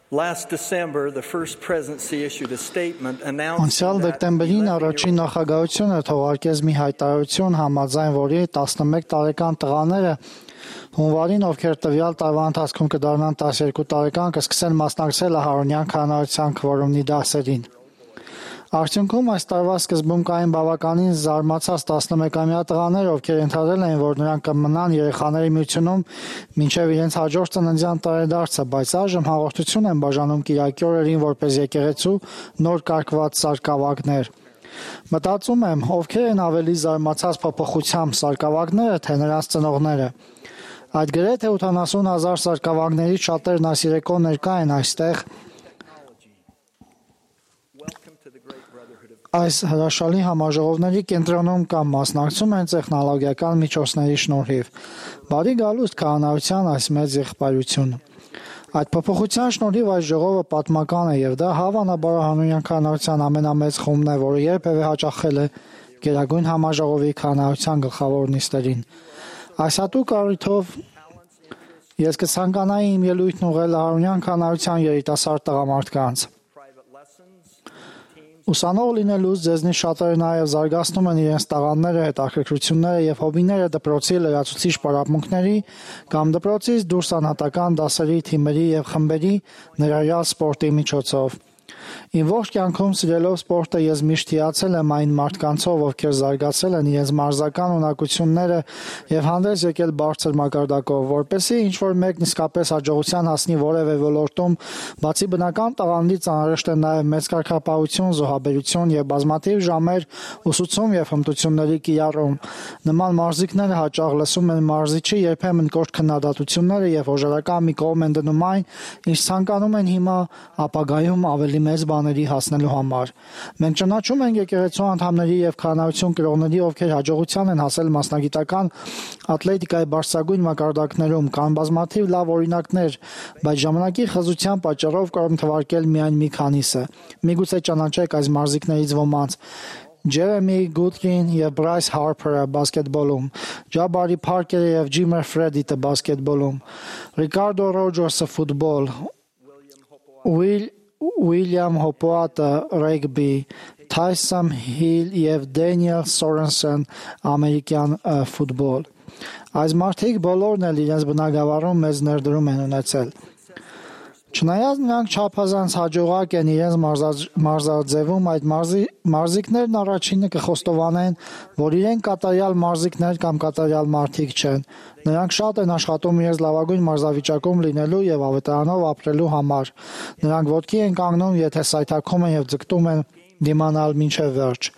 Last December, the first presidency issued a statement announcing Անցյալ դեկտեմբերին առաջին նախագահությունը թողարկեց մի հայտարարություն, համաձայն որի 11 տարեկան տղաները հունվարին, ովքեր տվյալ տարվա ընթացքում կդառնան 12 տարեկան, կսկսեն մասնակցել Ահարոնյան քահանայության քվորումի դասերին։ Արդյունքում այս տարվա սկզբում կային բավականին զարմացած 11-ամյա տղաներ, ովքեր ենթադրել էին, որ նրանք կմնան երեխաների միությունում մինչև իրենց հաջորդ ծննդյան տարեդարձը, բայց այժմ հաղորդություն են բաժանում կիրակի օրերին որպես եկեղեցու նոր կարգված սարկավագներ։ Մտածում եմ, ովքեր են ավելի զարմացած փոփոխությամբ, սարկավագները, թե նրանց ծնողները։ Այդ գրեթե 80,000 սարկավագներից շատերն այս երեկո ներկա են այստեղ։ Այս հրաշալի համաժողովների կենտրոնում կամ մասնակցում են տեխնոլոգիական միջոցների շնորհիվ։ Բարի գալուստ քահանայության այս մեծ եղբայրությունը։ Այդ փոփոխության շնորհիվ այս ժողովը պատմական է եւ դա հավանաբար Ահարոնյան քահանայության ամենամեծ խումբն է, որը երբևէ հաճախել է Գերագույն համաժողովի քահանայության գլխավոր նիստերին։ Այս հատուկ առիթով ես կցանկանայի իմ ելույթն ուղղել Ահարոնյան քահանայության երիտասարդ տղամարդկանց։ Ուսանող լինելուց ձեզնից շատերը նաև զարգացնում են իրենց տաղանդները, հետաքրքրությունները եւ հոբիները դպրոցի լրացուցիչ պարապմունքների կամ դպրոցից դուրս անհատական դասերի, թիմերի եւ խմբերի ներառյալ սպորտի միջոցով։ Իմ ողջ կյանքում սիրելով սպորտը ես միշտ հիացել եմ այն մարդկանցով, ովքեր զարգացել են իրենց մարզական ունակությունները եւ հանդես եկել բարձր մակարդակով, որպեսզի ինչ-որ մեկն իսկապես հաջողության հասնի որևէ ոլորտում, բացի բնական տաղանդից անհրաժեշտ է նաեւ մեծ կարգապահություն, զոհաբերություն եւ բազմաթիվ ժամեր ուսուցում եւ հմտությունների կիրառում։ Նման մարզիկները հաճախ լսում են մարզիչի երբեմն կոշտ քննադատությունները եւ հոժարական մի կողմ են դնում այն, ինչ ցանկանում են հիմա ապագայում ավելի մեծ բաների հասնելու համար։ Մենք ճանաչում ենք եկեղեցու անդամների եւ քահանայություն կրողների, ովքեր հաջողության են հասել մասնագիտական ատլետիկայի բարձրագույն մակարդակներում, կան բազմաթիվ լավ օրինակներ, բայց ժամանակի խզության պատճառով կարող եմ թվարկել միայն մի քանիսը։ Միգուցե ճանաչեք այս մարզիկներից ոմանց. Ջերեմի Գուդրին եւ Բրայս Հարփերը բասկետբոլում, Ջաբարի Փարքերը եւ Ջիմեր Ֆրեդիտը բասկետբոլում, Ռիկարդո Ռոջերսը ֆուտբոլ, Ուիլյամ Հոպոատը ռեգբի, Թայսոն Հիլ եւ Դենիել Սորենսեն ամերիկյան ֆուտբոլ։ Այս մարդիկ բոլորն էլ իրենց բնագավառում մեծ ներդրում են ունեցել։ Չնայած նրանք չափազանց հաջողակ են իրենց մարզաձևում, այդ մարզիկներն առաջինը կխոստովանեն, որ իրենք կատարյալ մարզիկներ կամ կատարյալ մարդիկ չեն։ Նրանք շատ են աշխատում իրենց լավագույն մարզավիճակում լինելու եւ ավետարանով ապրելու համար։ Նրանք ոտքի են կանգնում, եթե սայթաքում են եւ ձգտում են դիմանալ մինչեւ վերջ։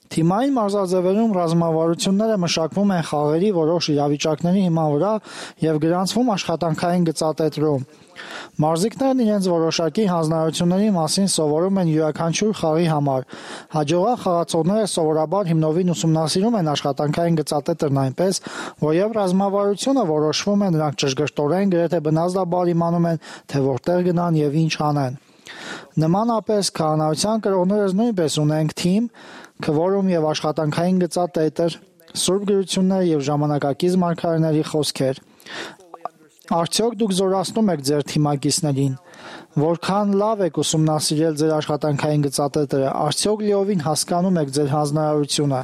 Թիմային մարզաձևերում ռազմավարությունները մշակվում են խաղերի որոշ իրավիճակների հիման վրա եւ գրանցվում աշխատանքային գծատետրում։ Մարզիկներն իրենց որոշակի հանձնարարությունների մասին սովորում են յուրաքանչյուր խաղի համար։ Հաջողակ խաղացողները սովորաբար հիմնովին ուսումնասիրում են աշխատանքային գծատետրն այնպես, որ եւ ռազմավարությունը որոշվում է, նրանք ճշգրտորեն գրեթե բնազդաբար իմանում են, թե որտեղ գնան եւ ինչ անեն։ Նմանապես քահանայության կրողներս նույնպես ունենք թիմ, քվորում եւ աշխատանքային գծատետր, սուրբ գրություններ եւ ժամանակակից մարգարեների խոսքեր։ Արդյոք դուք զորացնում եք ձեր թիմակիցներին, որքան լավ եք ուսումնասիրել ձեր աշխատանքային գծատետրը, արդյոք լիովին հասկանում եք ձեր հանձնարարությունը։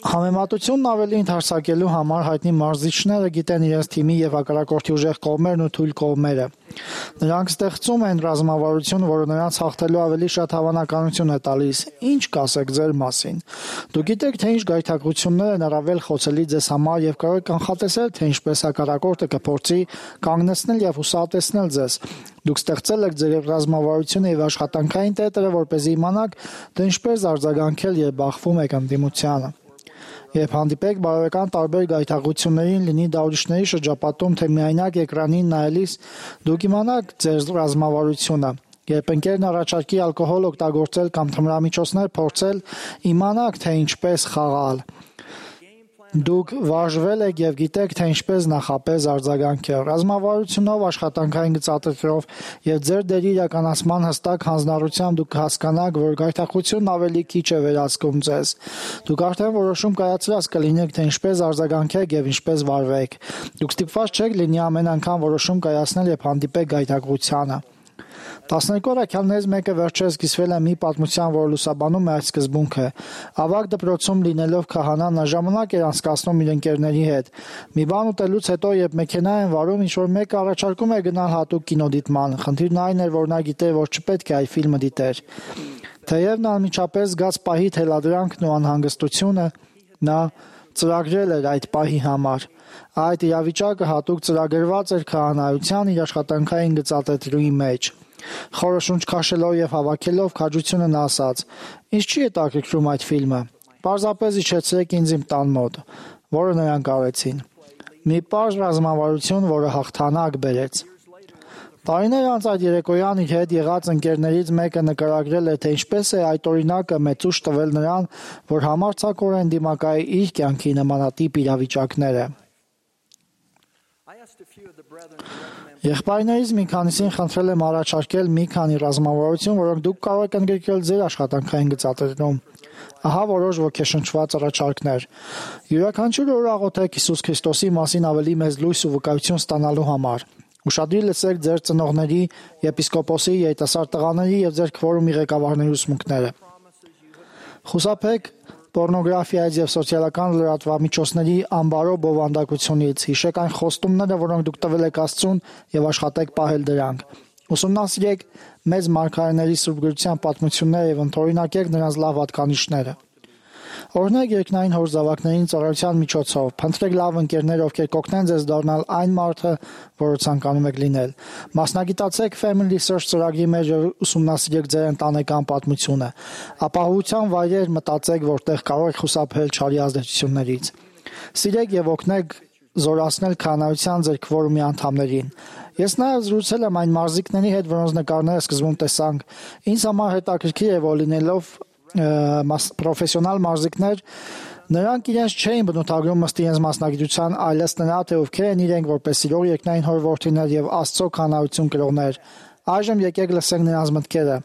Համեմատությունն ավելի ընդհանրացակելու համար հայտնի մարզիչները գիտեն իրենց թիմի եւ հակառակորդի ուժեղ կողմերն ու թույլ կողմերը։ Նրանք ստեղծում են ռազմավարություն, որը նրանց հաղթելու ավելի շատ հավանականություն է տալիս։ Ինչ կասեք ձեր մասին։ Դուք գիտեք, թե ինչ գայթակղություններ են առավել խոցելի ձեզ համար եւ կարող եք կանխատեսել, թե ինչպես հակառակորդը կփորձի կանգնեցնել եւ հուսահատեցնել ձեզ։ Դուք ստեղծել եք ձեր ռազմավարությունը եւ աշխատանքային տետրը, որպեսզի իմանաք, թե ինչպես արձագանքել, երբ բախվում եք ընդդիմությանը։ Երբ հանդիպեք բարոյական տարբեր գայթակղություններին, լինի դա ուրիշների շրջապատում, թե միայնակ էկրանին նայելիս, դուք իմանաք ձեր ռազմավարությունը։ Երբ ընկերն առաջարկի ալկոհոլ օգտագործել կամ թմրամիջոցներ փորձել, իմանաք, թե ինչպես խաղալ։ Դուք վարժվել եք եւ գիտեք, թե ինչպես նախապես արձագանքել։ Ռազմավարությունով, աշխատանքային գծատրով եւ ձեր դերի իրականացման հստակ հանձնառությամբ դուք հասկանաք, որ գայթակղությունն ավելի քիչ է վերահսկում ձեզ։ Դուք արդեն որոշում կայացրած կլինեք, թե ինչպես արձագանքեք եւ ինչպես վարվեք։ Դուք ստիպված չեք լինի ամեն անգամ որոշում կայացնել եւ հանդիպեք գայթակղությանը։ 12 առաքյալներից մեկը վերջերս կիսվել է մի պատմության, որը լուսաբանում է այդ սկզբունքը։ Ավագ դպրոցում լինելով քահանան նա ժամանակ էր անցկացնում իր ընկերների հետ։ Մի բան ուտելուց հետո, երբ մեքենա են վարում, ինչ-որ մեկը առաջարկում է գնալ հատուկ կինոդիտման։ Խնդիրն այն էր, որ նա գիտեր, որ չպետք է այդ ֆիլմը դիտեր։ Թեև նա անմիջապես զգաց պահի թելադրանքն ու անհանգստությունը, նա ծրագրել էր այդ պահի համար։ Այդ իրավիճակը հատուկ ծրագրված էր քահանայության իր աշխատանքային գծատրի մեջ։ Խորը շունչ քաշելով եւ հավաքելով քաջությունը նա ասաց. «Ինչ չի հետաքրքրում այդ ֆիլմը։ Պարզապես իջեցրեք ինձ իմ տան մոտ», որը նրանք արեցին։ Մի պարզ ռազմավարություն, որը հաղթանակ բերեց։ Տարիներ անց այդ երեկոյան իր հետ եղած ընկերներից մեկը նկարագրել է, թե ինչպես է այդ օրինակը մեծ ուժ տվել նրան, որ համարձակորեն դիմակայի իր կյանքի նմանատիպ իրավիճակները։ Եղբայրներից մի քանիսին խնդրել եմ առաջարկել մի քանի ռազմավարություն, որոնք դուք կարող եք ընդգրկել ձեր աշխատանքային գծատրում։ Ահա որոշ ոգեշնչված առաջարկներ։ Յուրաքանչյուր օր աղոթեք Հիսուս Քրիստոսի մասին ավելի մեծ լույս ու վկայություն ստանալու համար։ Ուշադրի լսեք ձեր ծնողների, եպիսկոպոսի, երիտասարդ տղաների եւ ձեր քվորումի ղեկավարների ուսմունքները։ Խուսափեք պոռնոգրաֆիայից եւ սոցիալական լրատվամիջոցների անբարո բովանդակությունից։ Հիշեք այն խոստումները, որոնք դուք տվել եք Աստծուն եւ աշխատեք պահել դրանք։ Ուսումնասիրեք մեծ մարգարեների սուրբ գրության պատմությունները եւ ընդօրինակեք նրանց լավ հատկանիշները։ Օրհնեք երկնային հոր զավակներին ծառայության միջոցով։ Փնտրեք լավ ընկերներ, ովքեր կօգնեն ձեզ դառնալ այն մարդը, որը ցանկանում եք լինել։ Մասնագիտացեք Family Search ծրագրի մեջ եւ ուսումնասիրեք ձեր ընտանեկան պատմությունը։ Ապահովության վայրեր մտածեք, որտեղ կարող եք խուսափել չարի ազդեցություններից։ Սիրեք եւ օգնեք զորացնել քահանայության ձեր քվորումի անդամներին։ Ես նաև զրուցել եմ այն մարզիկների հետ, որոնց նկարները սկզբում տեսանք։ Ինձ համար հետաքրքիր է, որ լինելով պրոֆեսիոնալ մարզիկներ, նրանք իրենց չէին բնութագրում ըստ իրենց մասնագիտության, այլս նրա, թե ովքեր են իրենք որպես սիրող երկնային հոր որդիներ եւ Աստծո քահանայություն կրողներ։ Այժմ եկեք լսենք նրանց մտքերը։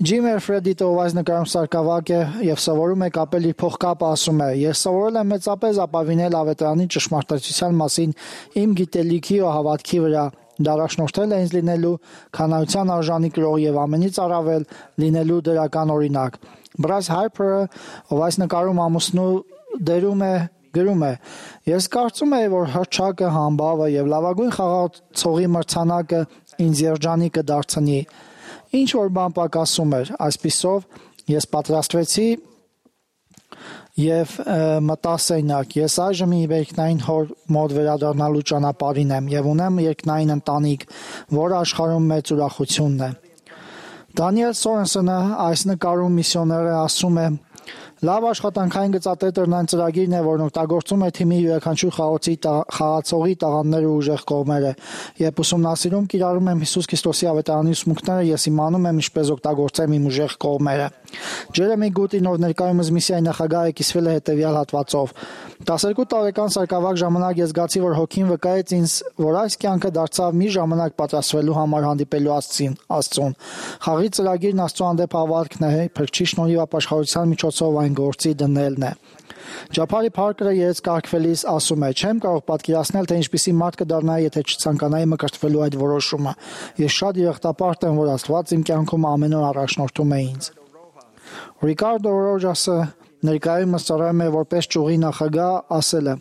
Ջիմ Էրֆրեդիտը, ով այս նկարում սարկավակ է եւ սովորում է կապել իր փողկապը, ասում է. «Ես սովորել եմ մեծապես ապավինել ավետարանի ճշմարտացիության մասին իմ գիտելիքի ու հավատքի վրա։ Դա առաջնորդել է ինձ լինելու քահանայության արժանի կրող եւ ամենից առավել լինելու դրական օրինակ»։ Բրաս Հարփերը, ով այս նկարում ամուսնու դերում է, գրում է. «Ես կարծում եմ, որ հռչակը, համբավը եւ լավագույն խաղացողի մրցանակը ինձ երջանիկ կդարձնի։ Ինչ որ բան պակասում էր, այսպիսով ես պատրաստվեցի եւ մտա սենյակ։ Ես այժմ իմ երկնային հոր մոտ վերադառնալու ճանապարհին եմ եւ ունեմ երկնային ընտանիք, որը աշխարհում մեծ ուրախությունն է»։ Դանիել Սորենսոնը այս նկարում միսիոները ասում է. «Լավ աշխատանքային գծատետրն այն ծրագիրն է, որն օգտագործում է թիմի յուրաքանչյուր խաղացողի տաղանդները ու ուժեղ կողմերը։ Երբ ուսումնասիրում կիրառում եմ Հիսուս Քրիստոսի ավետարանի ուսմունքները, ես իմանում եմ ինչպես օգտագործեմ իմ ուժեղ կողմերը»։ Ջերեմի Գուտին, ով ներկայումս միսիայի նախագահ է, կիսվել է հետևյալ հատվածով. 12 տարեկան սարկավակ ժամանակ ես զգացի, որ հոգին վկայեց ինձ, որ այս կյանքը դարձավ մի ժամանակ պատրաստվելու համար հանդիպելու Աստծուն։ Խաղի ծրագիրն Աստծո հանդեպ հավատքն է, Փրկչի շնորհիվ ապաշխարության միջոցով այն գործի դնելն է։ Ջափարի Փարքերը երեց կարգվելիս ասում է. «Չեմ կարող պատկերացնել, թե ինչպիսի մարդ կդառնայի, եթե չցանկանայի մկրտվելու այդ որոշումը։ Ես շատ երախտապարտ եմ, որ Աստված իմ կյանքում ամեն օր առաջնորդում է ինձ»։ Ռիկարդո Ռոջասը, ներկայումս ծառայում է որպես ճյուղի նախագահ, ասել է.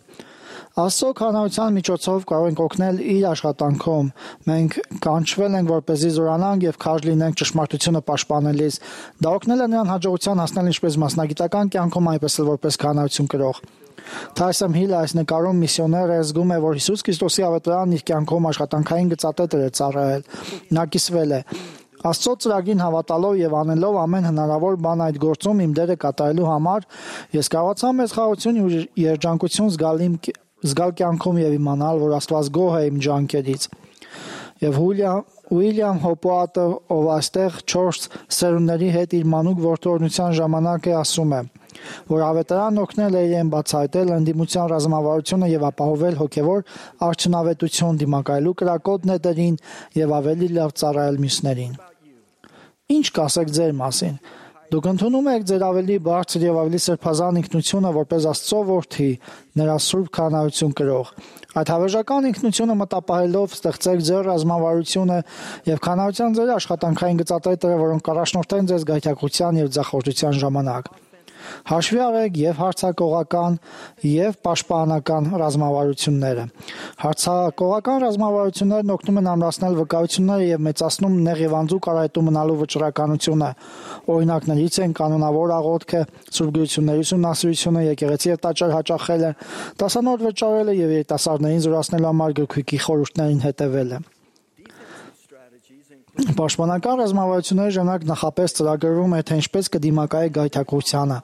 «Աստծո քահանայության միջոցով կարող ենք օգնել իր աշխատանքում։ Մենք կանչվել ենք, որպեսզի զորանանք եւ քարշ լինենք ճշմարտությունը պաշտպանելիս։ Դա օգնել է նրան հաջողության հասնել ինչպես մասնագիտական կյանքում, այնպես էլ որպես քահանայություն կրող»։ Թայսոն Հիլը այս նկարում միսիոներ է զգում է, որ Հիսուս Քրիստոսի ավետարանն իր կյանքում աշխատանքային գծատետր է ծառայել։ Նա կիսվել է. «Աստծո ծրագրին հավատալով եւ անելով ամեն հնարավոր բան այդ գործում իմ դերը կատարելու համար, ես կարողացա մեծ խաղաղություն ու երջանկություն զգալ կյանքում եւ իմանալ, որ Աստված գոհ է իմ ջանքերից»։ Եվ Ուիլյամ Հոպոատը, ով այստեղ 4 սերունդների հետ իր մանուկ որդորնության ժամանակ է, ասում է. որ ավետարանն օգնել է իրեն բացահայտել ընդդիմության ռազմավարությունը եւ ապահովել հոգեվոր արդյունավետություն դիմակայելու կրակոտ նետերին եւ ավելի լավ ծառայել մյուսներին։ Ինչ կասեք ձեր մասին։ Դուք ընդունում եք ձեր ավելի բարձր եւ ավելի սրբազան ինքնությունը որպես Աստծո որդի, նրա սուրբ քահանայություն կրող։ Այդ հավերժական ինքնությունը մտապահելով ստեղծեք ձեր ռազմավարությունը եւ քահանայության ձեր աշխատանքային գծատերերը, որոնք կառաջնորդեն ձեզ գայթակղության եւ ձախորդության ժամանակ։ Հաշվի առեք եւ հարցակողական եւ պաշտպանական ռազմավարությունները։ Հարցակողական ռազմավարություններն օգնում են ամրացնել վկայությունները եւ մեծացնում նեղ եւ անձու կարայտու մնալու վճռականությունը։ Օրինակներից են կանոնավոր աղոթքը, սուրբ գրությունների ուսումնասիրությունը, եկեղեցի եւ տաճար հաճախելը, դասանոթ վճարելը եւ երիտասարդներին զորացնելու համար գրքույկի խորհուրդներին հետևելը։ Պաշտպանական ռազմավարությունների ժամանակ նախապես ծրագրվում է, թե ինչպես կդիմակայեք գայթակղությանը։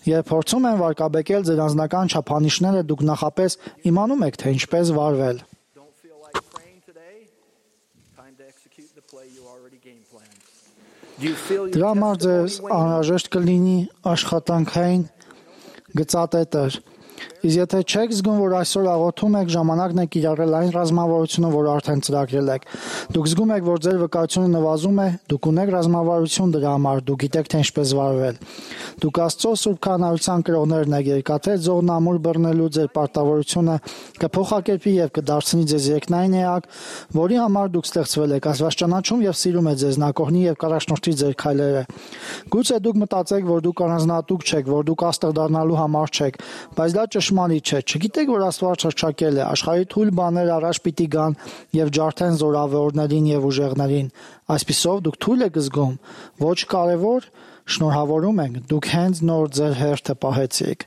Երբ փորձում են վարկաբեկել ձեր անձնական չափանիշները, դուք նախապես իմանում եք, թե ինչպես վարվել։ Դրա համար ձեզ անհրաժեշտ կլինի աշխատանքային գծատետեր։ Իսկ եթե չեք զգում, որ այսօր աղոթում եք, ժամանակն է կիրառել այն ռազմավարությունը, որ արդեն ծրագրել եք։ Դուք զգում եք, որ ձեր վկայությունը նվազում է, դուք ունեք ռազմավարություն դրա համար, դուք գիտեք, թե ինչպես վարվել։ Դուք Աստծո սուրբ քահանայության կրողներն եք, երկաթե ձողն ամուր բռնելու ձեր պարտավորությունը կփոխակերպի եւ կդարձնի ձեզ երկնային էակ, որի համար դուք ստեղծվել եք։ Աստված ճանաչում եւ սիրում է ձեզ, նա կօգնի եւ կառաջնորդի ձեր քայլերը։ Գուցե դուք մտածեք, որ դուք առանձնահատուկ չեք, որ դուք աստղ դառնալու համար չեք, բայց դա ճշմարիտ չէ։ Չգիտեք, որ Աստված հռչակել է, աշխարհի թույլ բաներ առաջ պիտի գան եւ ջարդեն զորավարներին եւ ուժեղներին։ Այսպիսով դուք թույլ եք զգում, ոչ կարևոր, շնորհավորում ենք, դուք հենց նոր ձեր հերթը պահեցիք։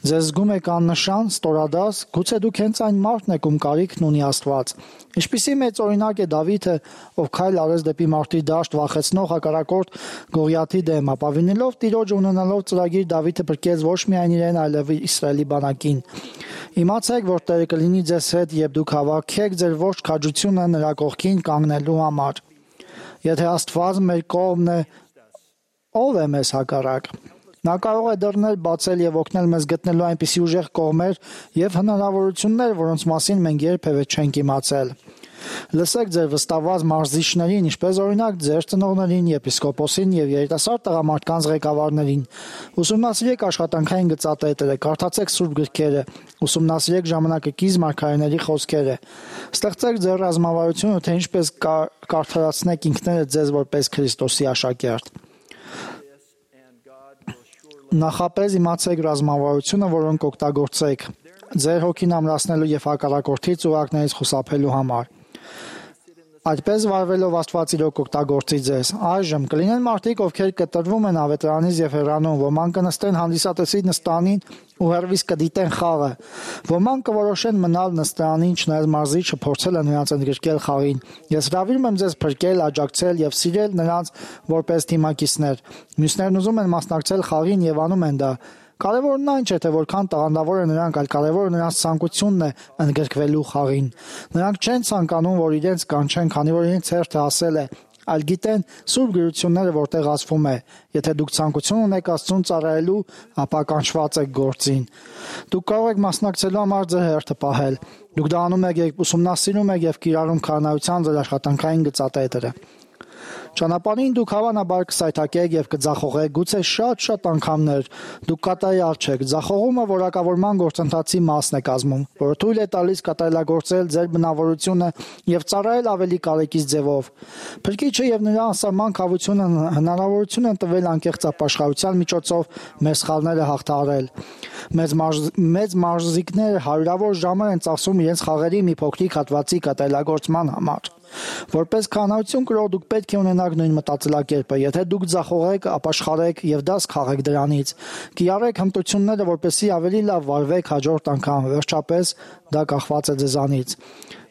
Ձեզ զգում եք աննշան, ստորադաս, գուցե դուք հենց այն մարդն եք, ում կարիքն ունի Աստված։ Ինչպիսի մեծ օրինակ է Դավիթը, ով քայլ արեց դեպի մարտի դաշտ վախեցնող հակառակորդ Գողիաթի դեմ, ապավինելով Տիրոջը ունենալով ծրագիր, Դավիթը փրկեց ոչ միայն իրեն, այլև Իսրայելի բանակին։ Իմացեք, որ Տերը կլինի ձեզ հետ, երբ դուք հավաքեք ձեր ողջ քաջությունը նրա կողքին կանգնելու համար։ Եթե Աստված մեր կողմն է, ով է մեզ հակառակ։ Նա կարող է դռներ բացել եւ օգնել մեզ գտնելու այնպիսի ուժեղ կողմեր եւ հնարավորություններ, որոնց մասին մենք երբևէ չենք իմացել։ Լսեք ձեր վստահված մարզիչներին, ինչպես օրինակ ձեր ծնողներին, եպիսկոպոսին եւ երիտասարդ տղամարդկանց ղեկավարներին։ Ուսումնասիրեք աշխատանքային գծատերերը, կարդացեք սուրբ գրքերը, ուսումնասիրեք ժամանակակից մարգարեների խոսքերը։ Ստեղծեք ձեր ռազմավարությունը, թե ինչպես կարդարացնեք ինքներդ ձեզ որպես Քրիստոսի աշակերտ։ Նախապես իմացեք ռազմավարությունը, որոնք օգտագործեք ձեր հոգին ամրացնելու եւ հակառակորդի ծուղակներից խուսափելու համար։ Այդպես վարվելով Աստված իրոք կօգտագործի ձեզ։ Այժմ կլինեն մարդիկ, ովքեր կտրվում են ավետարանից եւ հեռանում, ոմանք կնստեն հանդիսատեսի նստանին ու հեռվից կդիտեն խաղը։ Ոմանք կորոշեն մնալ նստանին, չնայած մարզիչը փորձել է նրանց ընդգրկել խաղին։ Ես հրավիրում եմ ձեզ փրկել, աջակցել եւ սիրել նրանց որպես թիմակիցներ։ Մյուսներն ուզում են մասնակցել խաղին եւ անում են դա։ Կարևորն այն չէ, թե որքան տաղանդավոր է նրանք, այլ կարևորը նրանց ցանկությունն է ընդգրկվելու խաղին։ Նրանք չեն ցանկանում, որ իրենց կանչեն, քանի որ իրենց հերթը ասել է, այլ գիտեն սուրբ գրությունները, որտեղ ասվում է. եթե դուք ցանկություն ունեք Աստծուն ծառայելու, ապա կանչված եք գործին։ Դուք կարող եք մասնակցելու համար ձեր հերթը պահել։ Դուք դա անում եք, երբ ուսումնասիրում եք եւ կիրառում քահանայության ձեր աշխատանքային գծատերերը։ Ճանապարհին դուք հավանաբար կսայթաքեք եւ կձախողեք, գուցե շատ անգամներ։ Դուք կատարյալ չեք։ Ձախողումը որակավորման գործընթացի մասն է կազմում, որը թույլ է տալիս կատարելագործել ձեր բնավորությունը եւ ծառայել ավելի կարեկից ձևով։ Փրկիչը եւ նրա անսահման քավությունը հնարավորություն են տվել անկեղծ ապաշխարության միջոցով մեր սխալները հաղթահարել։ Մեծ մարզիկներ հարյուրավոր ժամեր են ծախսում իրենց խաղերի մի փոքրիկ հատվածի կատարելագործման համար։ Որպես քահանայություն կրող դուք պետք է ունենաք նույն մտածելակերպը։ Եթե դուք ձախողեք, ապաշխարեք եւ դաս քաղեք դրանից։ Կիրառեք հմտությունները, որպեսզի ավելի լավ վարվեք հաջորդ անգամ։ Վերջապես դա կախված է ձեզանից։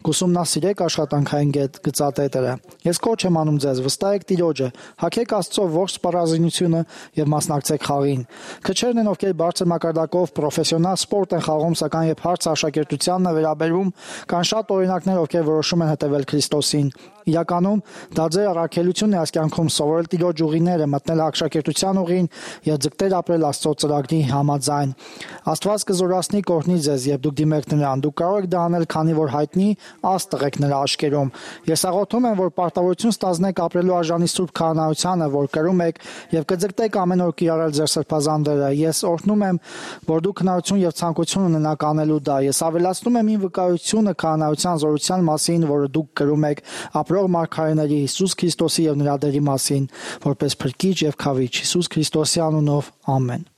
Կուսումնասիրեք աշխատանքային գծատետերը։ Ես կոչ եմ անում ձեզ, վստահեք Տիրոջը, հագեք Աստծո ողջ սպառազինությունը եւ մասնակցեք խաղին։ Քչերն են, ովքեր բարձր մակարդակով պրոֆեսիոնալ սպորտ են խաղում, սակայն երբ հարցը աշակերտությանն է վերաբերում, կան շատ օրինակներ, ովքեր որոշում են հետևել Քրիստոսին։ Իրականում դա ձեր առաքելությունն է այս կյանքում սովորել Տիրոջ ուղիները, մտնել աշակերտության ուղին եւ ձգտել ապրել Աստծո ծրագրի համաձայն։ Աստված կզորացնի կօրհնի ձեզ, երբ դուք դիմեք նրան։ Դուք կարող եք դա անել, քանի որ հայտնի Աստղ եք նրա աչքերում։ Ես աղոթում եմ, որ պարտավորություն ստանձնեք ապրելու արժանի սուրբ քահանայությանը, որ կրում եք եւ կձգտեք ամեն օր կիրառել ձեր սրբազան դերը։ Ես օրհնում եմ, որ դուք հնարություն եւ ցանկություն ունենաք անելու դա։ Ես ավելացնում եմ իմ վկայությունը քահանայության զորության մասին, որը դուք կրում եք ապրող մարգարեների Հիսուս Քրիստոսի եւ նրա դերի մասին, որպես փրկիչ եւ քավիչ Հիսուս Քրիստոսի անունով, ամեն։